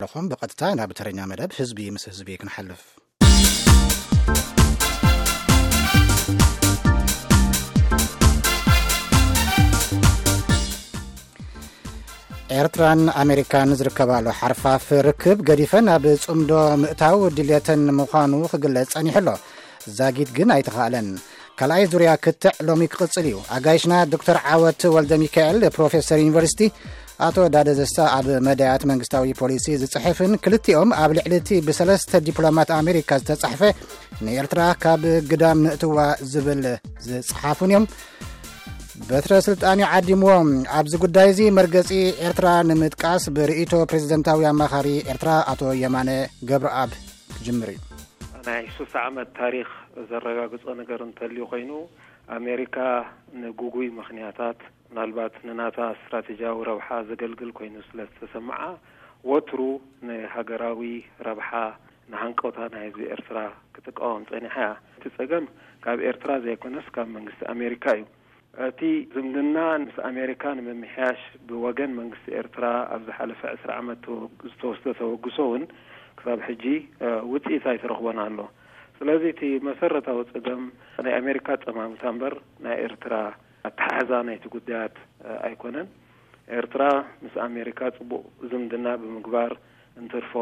ኣለኹም። ብቐጥታ ናብ ተረኛ መደብ ህዝቢ ምስ ህዝቢ ክንሓልፍ። ኤርትራን ኣሜሪካን ዝርከባሉ ሓርፋፍ ርክብ ገዲፈን ኣብ ጽምዶ ምእታው ድልየተን ምዃኑ ክግለጽ ጸኒሑ ኣሎ። ዛጊት ግን ኣይተኻእለን። ካልኣይ ዙርያ ክትዕ ሎሚ ክቕጽል እዩ። ኣጋይሽና ዶክተር ዓወት ወልደ ሚካኤል፣ ፕሮፌሰር ዩኒቨርሲቲ፣ ኣቶ ዳደ ዘሳ፣ ኣብ መዳያት መንግስታዊ ፖሊሲ ዝጽሕፍን ክልቲኦም ኣብ ልዕሊ እቲ ብሰለስተ ዲፕሎማት ኣሜሪካ ዝተጻሕፈ ንኤርትራ ካብ ግዳም ንእትዋ ዝብል ዝጽሓፉን እዮም። በትረ ስልጣን እዩ ዓዲምዎም። ኣብዚ ጉዳይ እዚ መርገጺ ኤርትራ ንምጥቃስ ብርእይቶ ፕሬዝደንታዊ ኣማኻሪ ኤርትራ ኣቶ የማነ ገብረኣብ ክጅምር እዩ። ናይ ሱሳ ዓመት ታሪኽ ዘረጋግጾ ነገር እንተልዩ ኮይኑ፣ ኣሜሪካ ንጉጉይ ምኽንያታት፣ ምናልባት ንናታ ስትራቴጂያዊ ረብሓ ዘገልግል ኮይኑ ስለ ዝተሰምዓ፣ ወትሩ ንሃገራዊ ረብሓ፣ ንሃንቀውታ ናይ ህዝቢ ኤርትራ ክትቃወም ጸኒሓ እያ። እቲ ጸገም ካብ ኤርትራ ዘይኮነስ ካብ መንግስቲ ኣሜሪካ እዩ። እቲ ዝምድና ምስ ኣሜሪካ ንምምሕያሽ ብወገን መንግስቲ ኤርትራ ኣብ ዝሓለፈ ዕስራ ዓመት ዝተወስደ ተበግሶ እውን ክሳብ ሕጂ ውፅኢት ኣይተረኽቦን ኣሎ። ስለዚ እቲ መሰረታዊ ፀገም ናይ ኣሜሪካ ኣፀማምታ እምበር ናይ ኤርትራ ኣተሓሕዛ ናይቲ ጉዳያት ኣይኮነን። ኤርትራ ምስ ኣሜሪካ ፅቡቕ ዝምድና ብምግባር እንትርፎ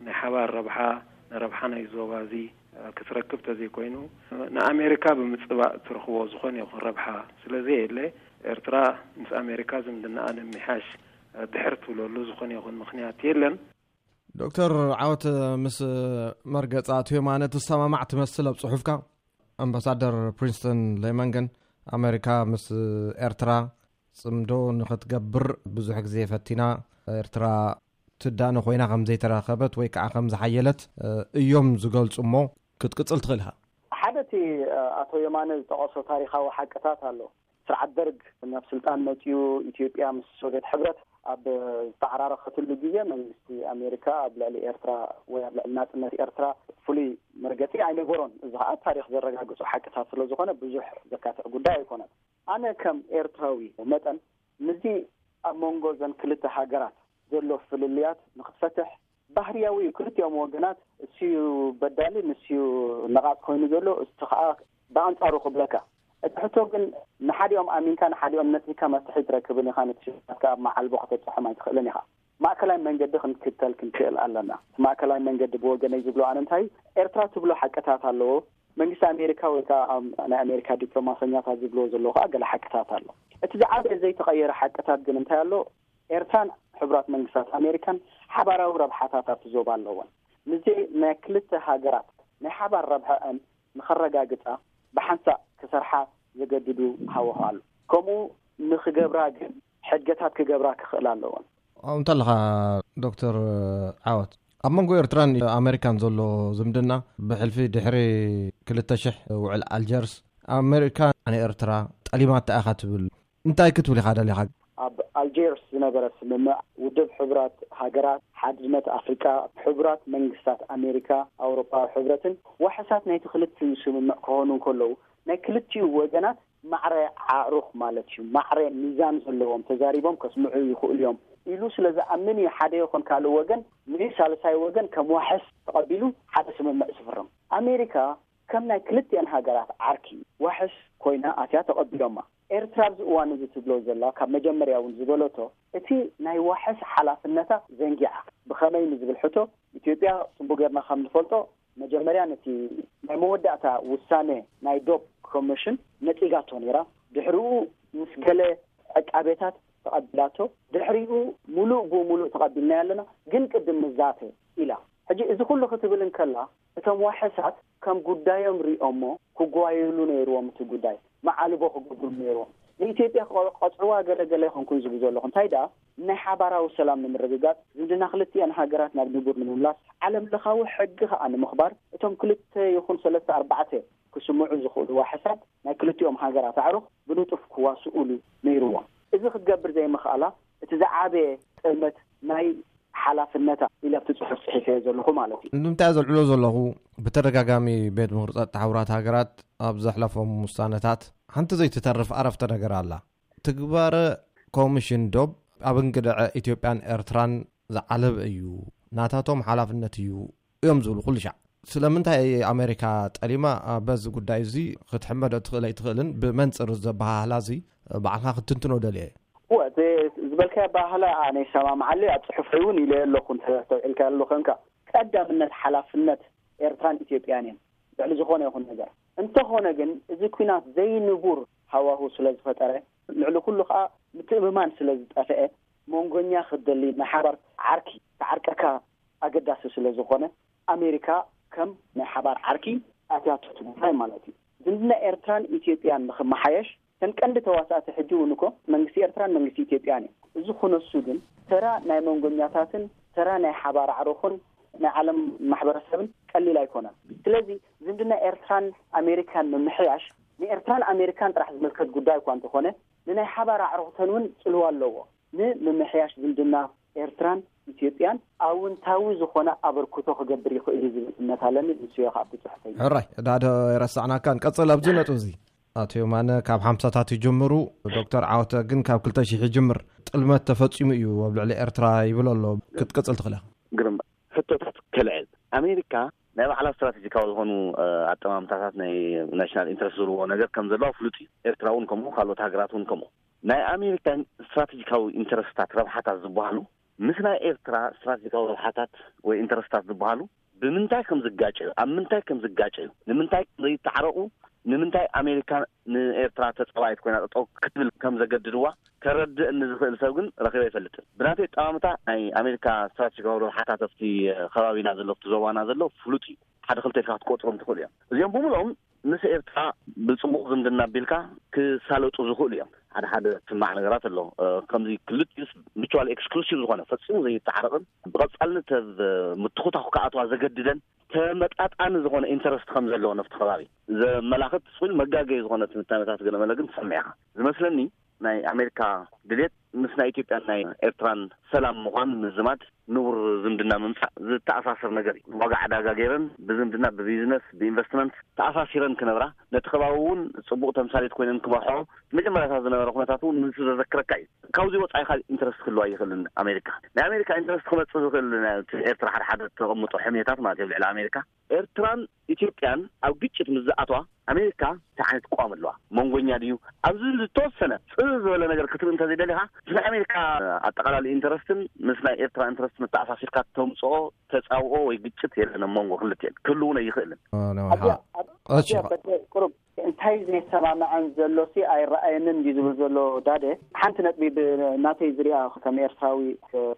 ናይ ሓባር ረብሓ ንረብሓ ናይ ዞባ እዚ ክትረክብ ተዘይኮይኑ ንኣሜሪካ ብምፅባእ ትረኽቦ ዝኾነ ይኹን ረብሓ ስለዘየለ ኤርትራ ምስ ኣሜሪካ ዝምድናኣ ንምምሕያሽ ድሕር ትብለሉ ዝኾነ ይኹን ምኽንያት የለን። ዶክተር ዓወት፣ ምስ መርገጻ ኣቶ የማነ ትሰማማዕ ትመስል ኣብ ጽሑፍካ። ኣምባሳደር ፕሪንስተን ሌመን ግን ኣሜሪካ ምስ ኤርትራ ጽምዶ ንኽትገብር ብዙሕ ግዜ ፈቲና፣ ኤርትራ ትዳነ ኮይና ከም ዘይተረኸበት ወይ ከዓ ከም ዝሓየለት እዮም ዝገልጹ እሞ ክትቅጽል ትኽእል ኢኻ። ሓደ እቲ ኣቶ የማነ ዝጠቐሶ ታሪኻዊ ሓቅታት ኣሎ። ስርዓት ደርግ ናብ ስልጣን መፅኡ ኢትዮጵያ ምስ ሶቪየት ሕብረት ኣብ ዝተዓራረኸትሉ ግዜ መንግስቲ ኣሜሪካ ኣብ ልዕሊ ኤርትራ ወይ ኣብ ልዕሊ ናፅነት ኤርትራ ፍሉይ መርገፂ ኣይነበሮን። እዚ ከዓ ታሪክ ዘረጋግፁ ሓቅታት ስለዝኾነ ብዙሕ ዘካትዕ ጉዳይ ኣይኮነን። ኣነ ከም ኤርትራዊ መጠን ምስዚ ኣብ መንጎ ዘን ክልተ ሃገራት ዘሎ ፍልልያት ንክትፈትሕ ባህርያዊ እዩ። ክልቲኦም ወገናት እሱዩ በዳሊ ንሱዩ ነቓጽ ኮይኑ ዘሎ እቲ ከዓ ብኣንጻሩ ክብለካ። እቲ ሕቶ ግን ንሓዲኦም ኣሚንካ ንሓዲኦም ነጺካ መፍትሒ ትረክብን ኢኻ። ነቲ ሽግራት ከዓ ኣብ መዓልቦ ከተብጽሖም ኣይትኽእልን ኢኻ። ማእከላይ መንገዲ ክንክተል ክንክእል ኣለና። እቲ ማእከላይ መንገዲ ብወገነይ ዝብሎ ኣነ እንታይ ኤርትራ ትብሎ ሓቅታት ኣለዎ። መንግስቲ ኣሜሪካ ወይ ከዓ ናይ ኣሜሪካ ዲፕሎማሰኛታት ዝብልዎ ዘለዎ ከዓ ገለ ሓቅታት ኣሎ። እቲ ዝዓበየ ዘይተቐየረ ሓቅታት ግን እንታይ ኣሎ? ኤርትራን ሕቡራት መንግስታት ኣሜሪካን ሓባራዊ ረብሓታት ኣብቲ ዞባ ኣለወን። ምስዚ ናይ ክልተ ሃገራት ናይ ሓባር ረብሐአን ንኸረጋግጻ ብሓንሳእ ክሰርሓ ዘገድዱ ሃዋሁ ኣሎ። ከምኡ ንኽገብራ ግን ሕድገታት ክገብራ ክኽእላ ኣለወን። እንተለኻ ዶክተር ዓወት ኣብ መንጎ ኤርትራን ኣሜሪካን ዘሎ ዝምድና ብሕልፊ ድሕሪ ክልተ ሽሕ ውዕል ኣልጀርስ ኣሜሪካ ንኤርትራ ጠሊማታ ኢኻ ትብል እንታይ ክትብል ኢኻ ደሊኻ? ኣብ ኣልጀርስ ዝነበረ ስምምዕ ውድብ ሕቡራት ሃገራት ሓድነት ኣፍሪቃ ሕቡራት መንግስታት ኣሜሪካ ኣውሮፓዊ ሕብረትን ዋሕሳት ናይቲ ክልቲኡ ስምምዕ ክኾኑ እንከለዉ ናይ ክልቲኡ ወገናት ማዕረ ኣዕሩኽ ማለት እዩ ማዕረ ሚዛን ዘለዎም ተዛሪቦም ከስምዑ ይኽእሉ እዮም ኢሉ ስለ ዝኣምን እዩ ሓደ ይኹን ካልእ ወገን ንሳልሳይ ወገን ከም ዋሕስ ተቐቢሉ ሓደ ስምምዕ ዝፍርም። ኣሜሪካ ከም ናይ ክልቲኣን ሃገራት ዓርኪ ዋሕስ ኮይና ኣትያ ተቐቢሎማ። ኤርትራ ኣብዚ እዋን እዚ ትብሎ ዘላ ካብ መጀመርያ እውን ዝበለቶ እቲ ናይ ዋሕስ ሓላፍነታ ዘንጊዓ ብኸመይ ንዝብል ሕቶ ኢትዮጵያ ጽቡቅ ጌርና ከም ንፈልጦ መጀመርያ ነቲ ናይ መወዳእታ ውሳነ ናይ ዶብ ኮሚሽን ነጺጋቶ ነይራ። ድሕሪኡ ምስ ገለ ዕቃቤታት ተቐቢላቶ። ድሕሪኡ ሙሉእ ብሙሉእ ተቐቢልናዮ ኣለና ግን ቅድም ንዛተ ኢላ። ሕጂ እዚ ኩሉ ክትብል እንከላ እቶም ዋሕሳት ከም ጉዳዮም ሪኦሞ ክጓየሉ ነይርዎም እቲ ጉዳይ መዓልቦ ክገብሩ ነይርዎም። ንኢትዮጵያ ክቐፅዕዋ ገለገለ ይኾንኩን ዝብሉ ዘለኹ እንታይ ደኣ ናይ ሓባራዊ ሰላም ንምርግጋፅ ዝምድና ክልቲአን ሃገራት ናብ ንቡር ንምምላስ ዓለም ለኻዊ ሕጊ ከዓ ንምኽባር እቶም ክልተ ይኹን ሰለስተ ኣርባዕተ ክስምዑ ዝኽእሉ ዋሕሳት ናይ ክልቲኦም ሃገራት ኣዕሩኽ ብንጡፍ ክዋስኡሉ ነይርዎም። እዚ ክትገብር ዘይምኽኣላ እቲ ዝዓበየ ጥልመት ናይ ሓላፍነታ ኢለ ኣብቲ ፅሑፍ ፅሒፈዮ ዘለኹ ማለት እዩ። ንምንታይ ዘልዕሎ ዘለኹ ብተደጋጋሚ ቤት ምኽሪ ፀጥታ ሕቡራት ሃገራት ኣብ ዘሕለፎም ውሳነታት ሓንቲ ዘይትተርፍ ኣረፍተ ነገር ኣላ። ትግባረ ኮሚሽን ዶብ ኣብ እንግድዐ ኢትዮጵያን ኤርትራን ዝዓለበ እዩ ናታቶም ሓላፍነት እዩ እዮም ዝብሉ ኩሉ ሻዕ። ስለምንታይ ኣሜሪካ ጠሊማ በዚ ጉዳይ እዚ ክትሕመዶ ትኽእል ኣይትኽእልን ብመንፅር ዘበሃህላ እዚ ባዕልካ ክትትንትኖ ደልየ። እወ፣ እቲ ዝበልካዮ ኣበሃህላ ኣነ ይሰማምዓለይ፣ ኣብ ጽሑፈይ እውን ኢለዮ ኣለኹ፣ እንተ ኣስተውዒልካዮ ኣሎ ኮንካ። ቀዳምነት ሓላፍነት ኤርትራን ኢትዮጵያን እየን ልዕሊ ዝኾነ ይኹን ነገር። እንተኾነ ግን፣ እዚ ኲናት ዘይንቡር ሃዋሁ ስለ ዝፈጠረ፣ ልዕሊ ኩሉ ከኣ ምትእምማን ስለ ዝጠፍአ፣ መንጎኛ ክትደሊ፣ ናይ ሓባር ዓርኪ ክዓርቀካ ኣገዳሲ ስለ ዝኾነ፣ ኣሜሪካ ከም ናይ ሓባር ዓርኪ ኣትያቶ እቲ ጉዳይ ማለት እዩ። ዝምድና ኤርትራን ኢትዮጵያን ንኽመሓየሽ፣ እተን ቀንዲ ተዋሳእቲ ሕጂ እውን እኮ መንግስቲ ኤርትራን መንግስቲ ኢትዮጵያን እዩ። እዚ ክነሱ ግን ተራ ናይ መንጎኛታትን ተራ ናይ ሓባር ኣዕሩኽን ናይ ዓለም ማሕበረሰብን ቀሊል ኣይኮነን። ስለዚ ዝምድና ኤርትራን ኣሜሪካን ምምሕያሽ ንኤርትራን ኣሜሪካን ጥራሕ ዝምልከት ጉዳይ እኳ እንተኾነ፣ ንናይ ሓባር ኣዕሩኽተን እውን ጽልዋ ኣለዎ። ንምምሕያሽ ዝምድና ኤርትራን ኢትዮጵያን ኣውንታዊ ዝኾነ ኣበርክቶ ክገብር ይኽእል እዩ ዝብል እምነት ኣለኒ። ንስዮ ካብ ትጽሕፈይ። ሕራይ፣ ዳዶ የረሳዕናካን። ቀጽል ኣብዚ ነጥብ እዚ። ኣቶ የማነ ካብ ሓምሳታት ይጅምሩ፣ ዶክተር ዓወተ ግን ካብ ክልተ ሺሕ ይጅምር። ጥልመት ተፈጺሙ እዩ ኣብ ልዕሊ ኤርትራ ይብል ኣሎ። ክትቅጽል ትኽእል ኢኻ። ግርም ሕቶታት ከልዕል። ኣሜሪካ ናይ ባዕላ ስትራቴጂካዊ ዝኾኑ፣ እ፣ ኣጠማምታታት ናይ ናሽናል ኢንትረስት ዝብልዎ ነገር ከም ዘለዋ ፍሉጥ እዩ። ኤርትራ እውን ከምኡ፣ ካልኦት ሃገራት እውን ከምኡ። ናይ ኣሜሪካ ስትራቴጂካዊ ኢንትረስትታት፣ ረብሓታት ዝበሃሉ ምስ ናይ ኤርትራ ስትራቴጂካዊ ረብሓታት ወይ ኢንትረስትታት ዝበሃሉ ብምንታይ ከም ዝጋጨዩ፣ ኣብ ምንታይ ከም ዝጋጨዩ፣ ንምንታይ ከም ዘይተዓረቑ፣ ንምንታይ ኣሜሪካ ንኤርትራ ተጻባኢት ኮይና ጠጠው ክትብል ከም ዘገድድዋ ከረድእኒ ዝኽእል ሰብ ግን ረኺበ ኣይፈልጥን። ብናተይ ኣጠማምታ ናይ ኣሜሪካ ስትራቴጂካዊ ረብሓታት ኣብቲ ከባቢና ዘሎ፣ ኣብቲ ዞባና ዘሎ ፍሉጥ እዩ። ሓደ ክልተ ኢልካ ክትቆጽሮም ትኽእሉ እዮም። እዚኦም ብምልኦም ምስ ኤርትራ ብጽቡቕ ዝምድና ኣቢልካ ክሳለጡ ዝኽእሉ እዮም። ሓደ ሓደ ዝስማዕ ነገራት ኣሎ። እ፣ ከምዚ ክልቲኡስ ሚቹዋል ኤክስክሉሲቭ ዝኾነ፣ ፈጺሙ ዘይተዓረቕን ብቐጻልነት ኣብ ምትኹታኹ ክኣትዋ ዘገድደን ተመጣጣኒ ዝኾነ ኢንተረስት ከም ዘለዎ ነፍቲ ከባቢ ዘመላኽት ስኹል መጋገዪ ዝኾነ ትንታነታት ገለመለ ግን ትሰምዕ ኢኻ። ዝመስለኒ ናይ ኣሜሪካ ድሌት ምስ ናይ ኢትዮጵያን ናይ ኤርትራን ሰላም ምዃን ምዝማድ፣ ንቡር ዝምድና ምምጻእ ዝተኣሳሰር ነገር እዩ። ዋጋ ዕዳጋ ገይረን ብዝምድና፣ ብቢዝነስ፣ ብኢንቨስትመንት ተኣሳሲረን ክነብራ፣ ነቲ ከባቢ እውን ጽቡቕ ተምሳሌት ኮይነን ክመርሖ፣ መጀመርያታት ዝነበረ ኩነታት እውን ንሱ ዘዘክረካ እዩ። ካብዚ ወጻኢ ካልእ ኢንተረስት ክህልዋ ይኽእልን ኣሜሪካ። ናይ ኣሜሪካ ኢንተረስት ክመጽእ ዝኽእል ናይ ኤርትራ ሓደ ሓደ ተቐምጦ ሕሜታት ማለት እዩ ኣብ ልዕሊ ኣሜሪካ። ኤርትራን ኢትዮጵያን ኣብ ግጭት ምስ ዝኣትዋ ኣሜሪካ እንታይ ዓይነት ቅዋም ኣለዋ? መንጎኛ ድዩ? ኣብዚ ዝተወሰነ ጽር ዝበለ ነገር ክትርኢ እንተዘይደሊኻ፣ ምስ ናይ ኣሜሪካ ኣጠቓላሊ ኢንተረስትን ምስ ናይ ኤርትራ ኢንተረስት መተኣሳሲርካ ተምጽኦ ተጻብኦ ወይ ግጭት የለን ኣብ መንጎ ክልቲኤን። ክህሉ እውን ኣይኽእልን። ኦ፣ ነው፣ ኣዝያ፣ ሃ። ኣብ-፣ እሺ፣ ኣዝያ ሃ። በደ ቁሩብ እንታይ ዘይሰማምዐን ዘሎ ሲ ኣይረኣየንን ድዩ ዝብል ዘሎ ዳደ፣ ሓንቲ ነጥቢ ብናተይ ዝሪኣ ከም ኤርትራዊ፣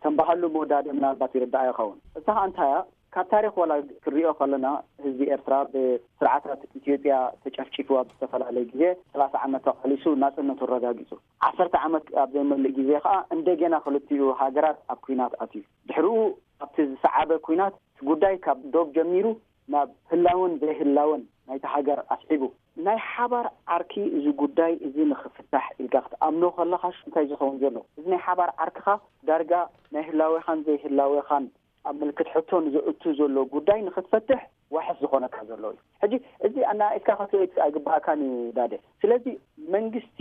ከም ባህሉ መወዳድእ ምናልባት ይርዳኣ ይኸውን። እሳ ኸኣ እንታይ እያ? ካብ ታሪኽ ዋላ ክሪኦ ከለና፣ ህዝቢ ኤርትራ ብስርዓታት ኢትዮጵያ ተጨፍጪፉ ኣብ ዝተፈላለየ ግዜ ሰላሳ ዓመት ተቓሊሱ ናጽነቱ ኣረጋጊጹ። ዓሰርተ ዓመት ኣብ ዘይመልእ ግዜ ኸኣ እንደገና ክልቲኡ ሃገራት ኣብ ኲናት ኣትዩ። ድሕሪኡ ኣብቲ ዝሰዓበ ኲናት እቲ ጉዳይ ካብ ዶብ ጀሚሩ ናብ ህላወን ዘይህላወን ናይታ ሃገር ኣስዒቡ። ናይ ሓባር ዓርኪ እዚ ጉዳይ እዚ ንኽፍታሕ ኢልካ ክትኣምኖ ከለኻስ እንታይ ዝኸውን ዘሎ? እዚ ናይ ሓባር ዓርክኻ ዳርጋ ናይ ህላዌኻን ዘይህላዌኻን ኣብ ምልክት ሕቶ ንዘእቱ ዘሎ ጉዳይ ንኽትፈትሕ ዋሕስ ዝኾነካ ዘሎ እዩ። ሕጂ እዚ ኣነኣኢስካ ክትሪኦ ኣይግባእካን እዩ ዳደ። ስለዚ መንግስቲ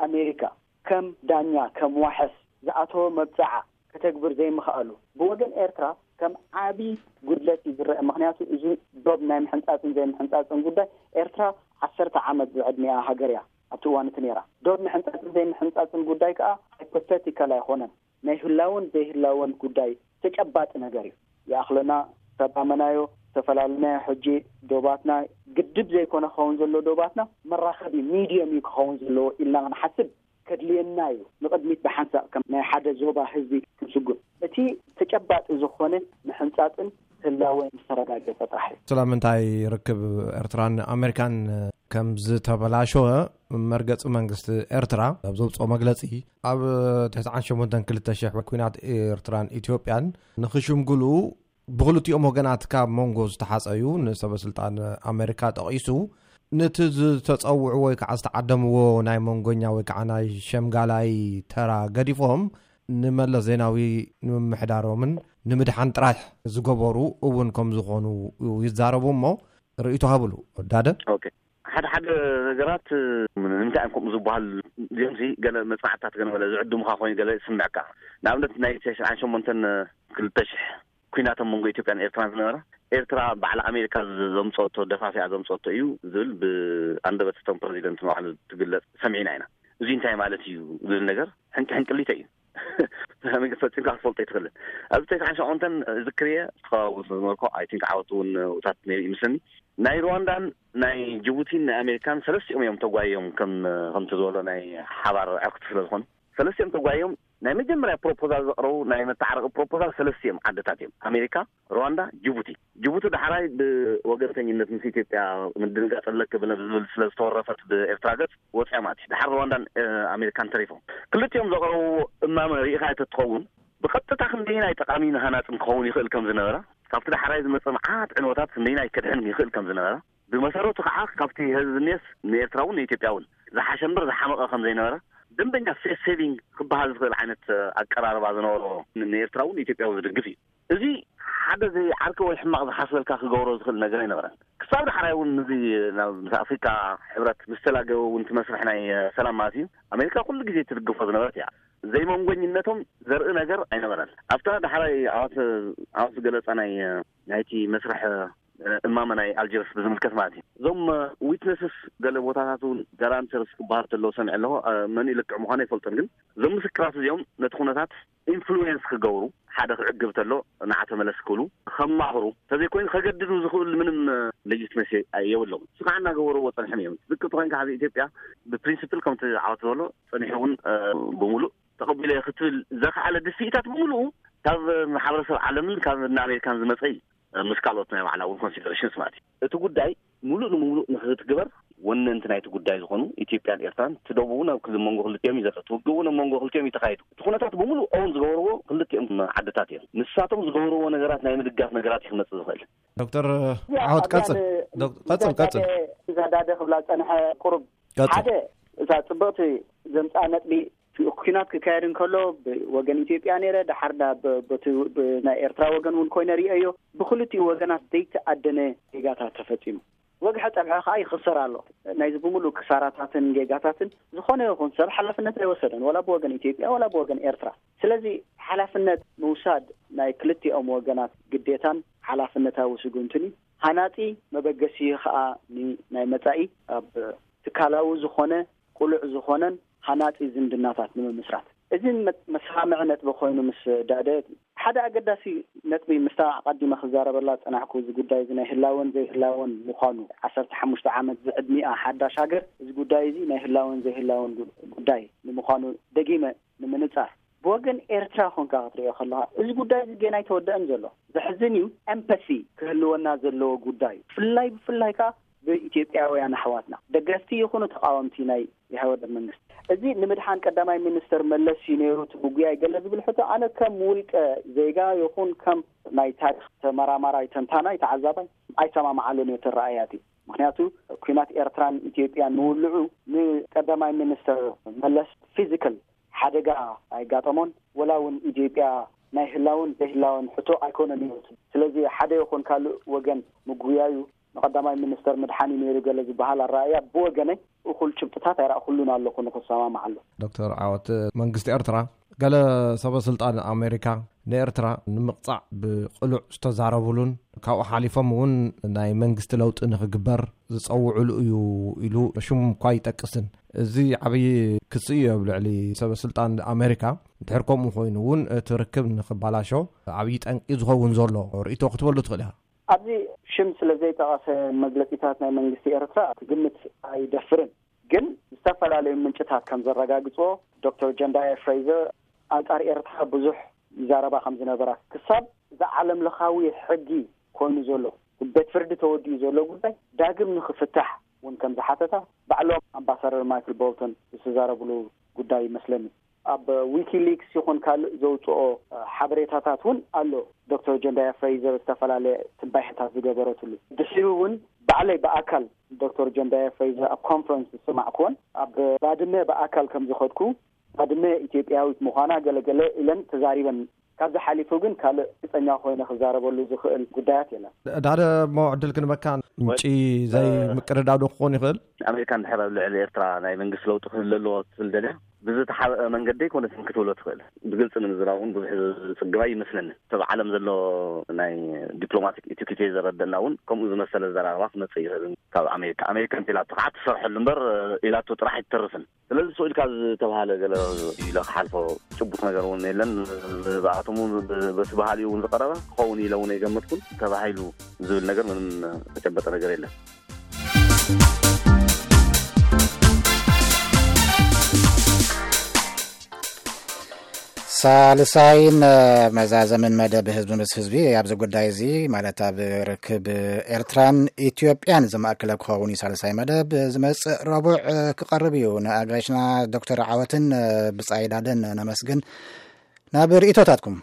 ኣሜሪካ ከም ዳኛ፣ ከም ዋሕስ ዝኣተወ መብጽዓ ከተግብር ዘይምኽኣሉ ብወገን ኤርትራ ከም ዓቢ ጉድለት እዩ ዝረአ። ምኽንያቱ እዚ ዶብ ናይ ምሕንጻጽን ዘይምሕንጻጽን ጉዳይ ኤርትራ ዓሰርተ ዓመት ዝዕድሚኣ ሃገር እያ ኣብቲ እዋን እቲ ነይራ። ዶብ ምሕንጻጽን ዘይምሕንጻጽን ጉዳይ ከኣ ሃይፖቴቲካል ኣይኮነን። ናይ ህላወን ዘይህላወን ጉዳይ ተጨባጢ ነገር እዩ። ይኣኽለና፣ ተጣመናዮ፣ ዝተፈላለናዮ፣ ሕጂ ዶባትና ግድብ ዘይኮነ ክኸውን ዘለዎ ዶባትና መራኸቢ ሚድየም እዩ ክኸውን ዘለዎ ኢልና ክንሓስብ ከድልየና እዩ። ንቕድሚት ብሓንሳእ ከም ናይ ሓደ ዞባ ህዝቢ ክንስጉም። እቲ ተጨባጢ ዝኾነ ምሕንጻጽን ህላወን ዝተረጋገጸ ጥራሕ እዩ። ስለምንታይ ርክብ ኤርትራን ኣሜሪካን ከም ዝተበላሸወ መርገጺ መንግስቲ ኤርትራ ኣብ ዘውጽኦ መግለጺ፣ ኣብ ትሽዓን ሸሞንተን ክልተ ሽሕ ኲናት ኤርትራን ኢትዮጵያን ንኽሽምግሉ ብኽልቲኦም ወገናት ካብ መንጎ ዝተሓጸዩ ንሰበ ስልጣን ኣሜሪካ ጠቒሱ፣ ነቲ ዝተጸውዕዎ ወይ ከዓ ዝተዓደምዎ ናይ መንጎኛ ወይ ከዓ ናይ ሸምጋላይ ተራ ገዲፎም ንመለስ ዜናዊ ንምምሕዳሮምን ንምድሓን ጥራሕ ዝገበሩ እውን ከም ዝኾኑ ይዛረቡ እሞ ርእይቶ ሃብሉ። ዳደ? ኦኬ። ሓደ ሓደ ነገራት ንምንታይ እዮም ከምኡ ዝበሃል? እዚኦም ሲ ገለ መጽናዕትታት ገለ መለ ዝዕድሙኻ ኮይኑ ገለ ይስምዐካ። ንኣብነት ናይ ትሽዓን ሸሞንተን ክልተ ሽሕ ኩናት ኣብ መንጎ ኢትዮጵያን ኤርትራን ዝነበረ፣ ኤርትራ ባዕላ ኣሜሪካ ዘምፀቶ፣ ደፋፊኣ ዘምፀቶ እዩ ዝብል ብኣንደበት እቶም ፕረዚደንት ንባዕሉ ትግለፅ ሰሚዕና ኢና። እዚ እንታይ ማለት እዩ ዝብል ነገር ሕንቂ ሕንቅሊተ እዩ። ፈፂምካ ክትፈልጦ ኣይትኽእልን። ኣብዚ ተስዓን ሸሞንተን ዝክርየ ተኸባቡ ዝነበርኩ፣ ኣይ ቲንክ ዓወት እውን ውታት ነይሩ ይመስለኒ። ናይ ሩዋንዳን ናይ ጅቡቲን ናይ ኣሜሪካን ሰለስቲኦም እዮም ተጓዮም፣ ከም ከምቲ ዝበሎ ናይ ሓባር ዕርክቲ ስለ ዝኾኑ ሰለስቲኦም ተጓዮም። ናይ መጀመርያ ፕሮፖዛል ዘቕረቡ ናይ መተዓረቂ ፕሮፖዛል ሰለስቲኦም ዓድታት እዮም፣ ኣሜሪካ፣ ሩዋንዳ፣ ጅቡቲ። ጅቡቲ ዳሕራይ ብወገንተኝነት ምስ ኢትዮጵያ ምድንጋፅ ኣለክብነ ብዝብል ስለ ዝተወረፈት ብኤርትራ ገፅ ወፂኣ ማለት እዩ። ድሓር ሩዋንዳን ኣሜሪካን ተሪፎም። ክልቲኦም ዘቕረብዎ እማመ ርኢኻ እተትኸውን ብቐጥታ ክንደይናይ ጠቓሚ ንሃናፅን ክኸውን ይኽእል ከም ዝነበረ፣ ካብቲ ዳሕራይ ዝመፀ መዓት ዕንወታት ክንደይናይ ከድሕን ይኽእል ከም ዝነበረ፣ ብመሰረቱ ከዓ ካብቲ ህዝቢ ኔስ ንኤርትራ እውን ንኢትዮጵያ እውን ዝሓሸ እምበር ዝሓመቐ ከም ዘይነበረ፣ ደንበኛ ፌስ ሴቪንግ ክበሃል ዝኽእል ዓይነት ኣቀራርባ ዝነበሮ ንኤርትራ እውን ንኢትዮጵያ እውን ዝድግፍ እዩ። እዚ ሓደ ዘይዓርኪ ወይ ሕማቕ ዝሓስበልካ ክገብሮ ዝኽእል ነገር ኣይነበረን። ክሳብ ዳሕራይ እውን እዚ ናብ ምስ ኣፍሪካ ሕብረት ምስ ተላገበ እውን እቲ መስርሕ ናይ ሰላም ማለት እዩ ኣሜሪካ ኩሉ ግዜ ትድግፎ ዝነበረት እያ። ዘይመንጎኝነቶም ዘርኢ ነገር ኣይነበረን። ኣብታ ዳሕራይ ዓወት ዓወት ዝገለፃ ናይ ናይቲ መስርሕ እማመ ናይ ኣልጀርስ ብዝምልከት ማለት እዩ። እዞም ዊትነስስ ገለ ቦታታት እውን ጋራንተርስ ክበሃል ተለዎ ሰሚዐ ኣለኹ። መን ልክዕ ምዃኑ ኣይፈልጦን፣ ግን እዞም ምስክራት እዚኦም ነቲ ኩነታት ኢንፍሉዌንስ ክገብሩ፣ ሓደ ክዕግብ ተሎ ንዓ ተመለስ ክብሉ ከማኽሩ፣ ተዘይኮይኑ ከገድዱ ዝኽእሉ ምንም ሌጂትመሲ የብሎም። እሱ ከዓ እናገበርዎ ፀንሖም እዮም። ዝቅ ተኮይንካ ሕዚ ኢትዮጵያ ብፕሪንስፕል ከምቲ ዓወት ዝበሎ ፀኒሑ እውን ብምሉእ ተቐቢለ ክትብል ዘኽኣለ ድፍኢታት ብምሉኡ ካብ ማሕበረሰብ ዓለምን ካብ እነ ኣሜሪካን ዝመፀ እዩ። ምስ ካልኦት ናይ ባዕላ እውን ኮንሲደሬሽንስ ማለት እዩ። እቲ ጉዳይ ሙሉእ ንሙሉእ ንክትግበር ወነንቲ ናይቲ ጉዳይ ዝኾኑ ኢትዮጵያን ኤርትራን፣ እቲ ደቡብ እውን ኣብ ክል መንጎ ክልቲኦም እዩ ዘሎ፣ እቲ ውግእ እውን ኣብ መንጎ ክልቲኦም እዩ ተኻይዱ። እቲ ኩነታት ብምሉእ ኦውን ዝገበርዎ ክልቲኦም ዓድታት እዮም። ንሳቶም ዝገበርዎ ነገራት ናይ ምድጋፍ ነገራት እዩ ክመፅእ ዝኽእል። ዶክተር እዚኣ ዓወት ኣብዛ ቀጽል ን- ዶክ- ቀጽል እዛ ቀጽል ዳደ- እዛ ዳደ ክብላ ዝፀንሐ ቁሩብ ቀጽል ሓደ እዛ ፅብቕቲ ዘምፃኣ ነጥቢ ኩናት ክካየድ እንከሎ ብወገን ኢትዮጵያ ነይረ፣ ድሓር ዳ ብ- በቲ ብ- ናይ ኤርትራ ወገን እውን ኮይነ ርእየዮ። ብክልቲኡ ወገናት ዘይተኣደነ ጌጋታት ተፈፂሙ። ወግሐ ጠብሐ ከዓ ይኽሰር ኣሎ። ናይዚ ብምሉእ ክሳራታትን ጌጋታትን ዝኾነ ይኹን ሰብ ሓላፍነት ኣይወሰደን፣ ወላ ብወገን ኢትዮጵያ ወላ ብወገን ኤርትራ። ስለዚ ሓላፍነት ምውሳድ ናይ ክልቲኦም ወገናት ግዴታን ሓላፍነታዊ ስጉምትን እዩ። ሃናፂ መበገሲ ከዓ ን- ናይ መፃኢ ኣብ ትካላዊ ዝኾነ ቁሉዕ ዝኾነን ሃናፂ ዝምድናታት ንምምስራት። እዚ መ- መሰማምዒ ነጥቢ ኮይኑ ምስ ዳደ ሓደ ኣገዳሲ ነጥቢ ምስታ ኣቐዲመ ክዛረበላ ዝፀናሕኩ እዚ ጉዳይ እዚ ናይ ህላወን ዘይህላወን ምዃኑ ዓሰርተ ሓሙሽተ ዓመት ዝዕድሚኣ ሓዳሽ ሃገር እዚ ጉዳይ እዚ ናይ ህላወን ዘይህላወን ጉ- ጉዳይ ንምዃኑ ደጊመ ንምንፃር ብወገን ኤርትራ ኮንካ ክትሪኦ ከለካ እዚ ጉዳይ እዚ ገና ኣይተወደአን ዘሎ። ዘሕዝን እዩ። ኤምፓቲ ክህልወና ዘለዎ ጉዳይ እዩ። ብፍላይ ብፍላይ ከዓ ብኢትዮጵያውያን ኣሕዋትና ደገፍቲ ይኹኑ ተቃወምቲ ናይ ኢህወደግ መንግስቲ እዚ ንምድሓን ቀዳማይ ሚኒስተር መለስ እዩ ነይሩ እቲ ጉጉያይ ገለ ዝብል ሕቶ ኣነ ከም ውልቀ ዜጋ ይኹን ከም ናይ ታሪክ ተመራማራይ ተንታናይ ተዓዛባይ ኣይሰማማዓሉን እየ ተረኣያት እዩ። ምክንያቱ ኩናት ኤርትራን ኢትዮጵያን ምውልዑ ንቀዳማይ ሚኒስተር መለስ ፊዚካል ሓደጋ ኣይጋጠሞን ወላ እውን ኢትዮጵያ ናይ ህላውን ዘይህላውን ሕቶ ኣይኮነን እዩ። ስለዚ ሓደ ይኹን ካልእ ወገን ምጉያዩ ንቀዳማይ ሚኒስተር ምድሓን እዩ ነይሩ ገለ ዝበሃል ኣረኣእያ ብወገነይ እኹል ጭብጥታት ኣይረእኩሉን ኣለኹ ንክሰማማዓሉ። ዶክተር ዓወት መንግስቲ ኤርትራ ገለ ሰበ ስልጣን ኣሜሪካ ንኤርትራ ንምቕፃዕ ብቅሉዕ ዝተዛረቡሉን ካብኡ ሓሊፎም እውን ናይ መንግስቲ ለውጢ ንክግበር ዝፀውዕሉ እዩ ኢሉ ሽሙ እኳ ይጠቅስን እዚ ዓብዪ ክሲ እዩ ኣብ ልዕሊ ሰበ ስልጣን ኣሜሪካ። ድሕር ከምኡ ኮይኑ እውን እቲ ርክብ ንክባላሾ ዓብዪ ጠንቂ ዝኸውን ዘሎ ርእቶ ክትበሉ ትኽእል ኢኻ። ኣብዚ ሽም ስለ ዘይጠቐሰ መግለፂታት ናይ መንግስቲ ኤርትራ ክግምት ኣይደፍርን። ግን ዝተፈላለዩ ምንጭታት ከም ዘረጋግፅዎ ዶክተር ጀንዳየ ፍሬዘር ኣንፃር ኤርትራ ብዙሕ ይዛረባ ከም ዝነበራ ክሳብ እዚ ዓለም ለኻዊ ሕጊ ኮይኑ ዘሎ ቤት ፍርዲ ተወዲኡ ዘሎ ጉዳይ ዳግም ንክፍታሕ እውን ከም ዝሓተታ ባዕሎም ኣምባሳደር ማይክል ቦልተን ዝተዛረብሉ ጉዳይ ይመስለኒ። ኣብ ዊኪሊክስ ይኹን ካልእ ዘውፅኦ ሓበሬታታት እውን ኣሎ። ዶክተር ጀንዳያ ፍሬዘር ዝተፈላለየ ትንባይሕታት ዝገበረትሉ ድሕሪ እውን ባዕለይ ብኣካል ዶክተር ጀንዳያ ፍሬዘር ኣብ ኮንፈረንስ ዝሰማዕኩዎን ኣብ ባድመ ብኣካል ከም ዝኸድኩ ባድመ ኢትዮጵያዊት ምዃና ገለገለ ኢለን ተዛሪበን ካብዚ ሓሊፉ ግን ካልእ ግልጸኛ ኮይነ ክዛረበሉ ዝኽእል ጉዳያት የለን። ዳደ እሞ ዕድል ክንበካ፣ ምንጪ ዘይምቅርዳዶ ክኾን ይኽእል? ኣሜሪካ እንድሕር ኣብ ልዕሊ ኤርትራ ናይ መንግስቲ ለውጢ ክህሉ ኣለዎ ክትብል ደልያ፣ ብዝተሓበአ መንገዲ ኣይኮነትን ክትብሎ ትኽእል። ብግልፂ ንምዝራብ እውን ብዙሕ ዝፅግባ ይመስለኒ። ሰብ ዓለም ዘሎ ናይ ዲፕሎማቲክ ኢቲኪቴ ዘረደና እውን ከምኡ ዝመሰለ ዘራርባ ክመፅእ ይኽእል። ካብ ኣሜሪካ ኣሜሪካ እንተ ኢላቶ ከዓ ትሰርሐሉ እምበር ኢላቶ ጥራሕ ኣይትተርፍን። ስለዚ ስቕ ኢልካ ዝተባሃለ ገለ ኢለ ክሓልፎ ጭቡጥ ነገር እውን የለን። ብኣቶም እውን በቲ ባህሊ እውን ዝቐረበ ክኸውን ኢለ እውን ኣይገመትኩን። ተባሂሉ ዝብል ነገር ምንም ተጨበጠ ነገር የለን። ሳልሳይን መዛዘምን መደብ ህዝቢ ምስ ህዝቢ ኣብዚ ጉዳይ እዚ፣ ማለት ኣብ ርክብ ኤርትራን ኢትዮጵያን ዝማእከለ ክኸውን እዩ። ሳልሳይ መደብ ዝመጽእ ረቡዕ ክቐርብ እዩ። ንኣጋይሽና ዶክተር ዓወትን ብጻይ ዳደን ነመስግን። ናብ ርእይቶታትኩም።